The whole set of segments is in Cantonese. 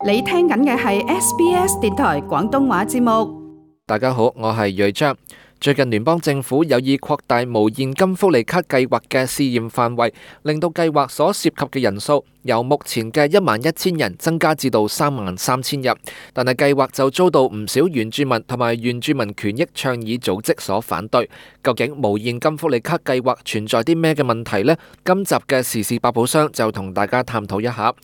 你聽緊嘅係 SBS 電台廣東話節目。大家好，我係睿章。最近聯邦政府有意擴大無現金福利卡計劃嘅試驗範圍，令到計劃所涉及嘅人數由目前嘅11,000人增加至到33,000人。但係計劃就遭到唔少原住民同埋原住民權益倡議組織所反對。究竟無現金福利卡計劃存在啲咩嘅問題呢？今集嘅時事百寶箱就同大家探討一下。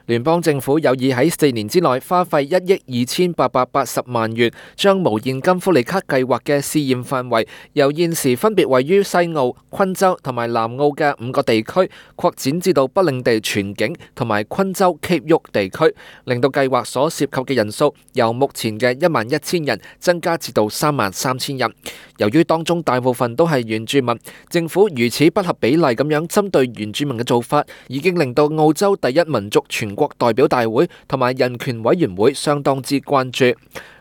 聯邦政府有意喺4年之內花費1億2880萬元，將無現金福利卡計劃嘅試驗範圍由現時分別位於西澳、昆州同埋南澳嘅5個地區擴展至到北領地全境同埋昆州 Cape York 地區，令到計劃所涉及嘅人數由目前嘅11,000人增加至到33,000人。由於當中大部分都係原住民，政府如此不合比例咁樣針對原住民嘅做法，已經令到澳洲第一民族全國代表大會同埋人權委員會相當之關注。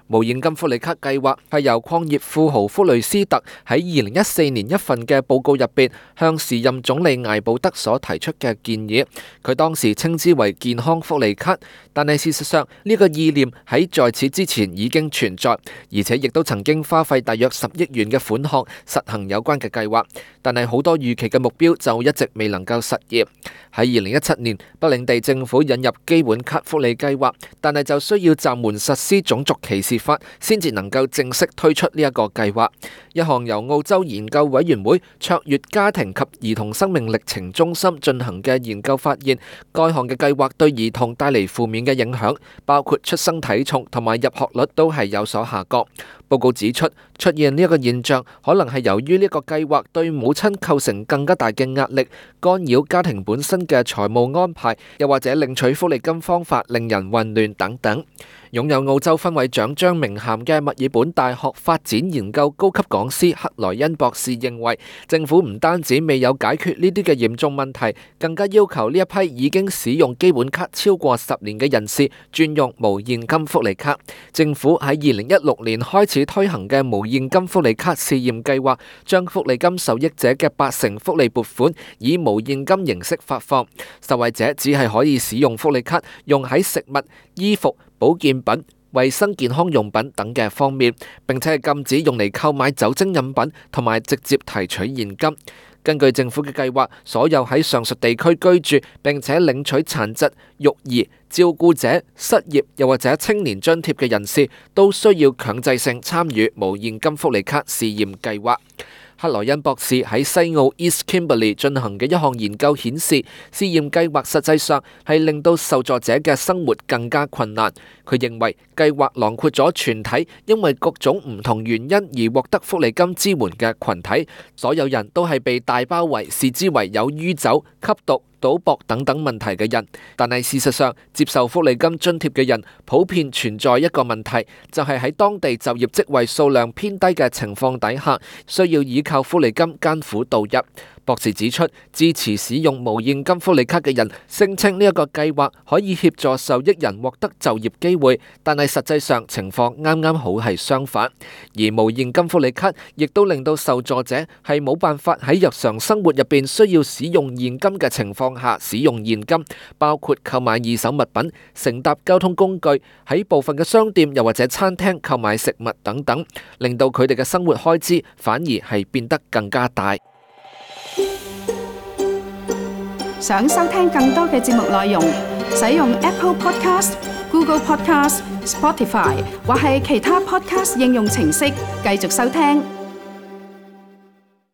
無現金福利卡計劃係由礦業富豪福雷斯特喺2014年一份嘅報告入邊向時任總理艾布德所提出嘅建議，佢當時稱之為健康福利卡，但係事實上呢個意念喺在此之前已經存在，而且亦都曾經花費大約10億元嘅款項實行有關嘅計劃，但係好多預期嘅目標就一直未能夠實現。喺2017年，北領地政府引入基本卡福利計劃，但係就需要暫緩實施種族歧視法，先至能夠正式推出呢一個計劃。一項由澳洲研究委員會卓越家庭及兒童生命歷程中心進行嘅研究發現，該項嘅計劃對兒童帶嚟負面嘅影響，包括出生體重同埋入學率都係有所下降。報告指出，出現呢一個現象可能係由於呢個計劃對母親構成更加大嘅壓力，干擾家庭本身嘅財務安排，又或者領取福利金方法令人混亂等等。擁有澳洲分位獎章名銜嘅墨爾本大學發展研究高級講師克萊恩博士認為，政府唔單止未有解決呢啲嘅嚴重問題，更加要求呢一批已經使用基本卡超過10年嘅人士轉用無現金福利卡。政府喺2016年開始推行嘅無現金福利卡試驗計劃，將福利金受益者嘅80%福利撥款以無現金形式發放，受惠者只係可以使用福利卡用喺食物、衣服、保健品、衛生健康用品等嘅方面，並且係禁止用嚟購買酒精飲品同埋直接提取現金。根據政府嘅計劃，所有喺上述地區居住並且領取殘疾、育兒、照顧者、失業又或者青年津貼嘅人士，都需要強制性參與無現金福利卡試驗計劃。克萊恩博士喺西澳 East Kimberley 進行嘅一項研究顯示，試驗計劃實際上係令到受助者嘅生活更加困難。佢認為計劃囊括咗全體因為各種唔同原因而獲得福利金支援嘅群體，所有人都係被大包圍，視之為有酗酒、吸毒、賭博等等問題嘅人。但係事實上，接受福利金津貼嘅人普遍存在一個問題，就係喺當地就業職位數量偏低嘅情況底下，需要依靠福利金艱苦度日。博士指出，支持使用無現金福利卡嘅人聲稱呢一個計劃可以協助受益人獲得就業機會，但係實際上情況啱啱好係相反。而無現金福利卡亦都令到受助者係冇辦法喺日常生活入邊需要使用現金嘅情況下使用現金，包括購買二手物品、乘搭交通工具、喺部分嘅商店又或者餐廳購買食物等等，令到佢哋嘅生活開支反而係變得更加大。想收聽更多嘅節目內容，使用 Apple Podcast、Google Podcast、Spotify 或係其他 Podcast 應用程式繼續收聽。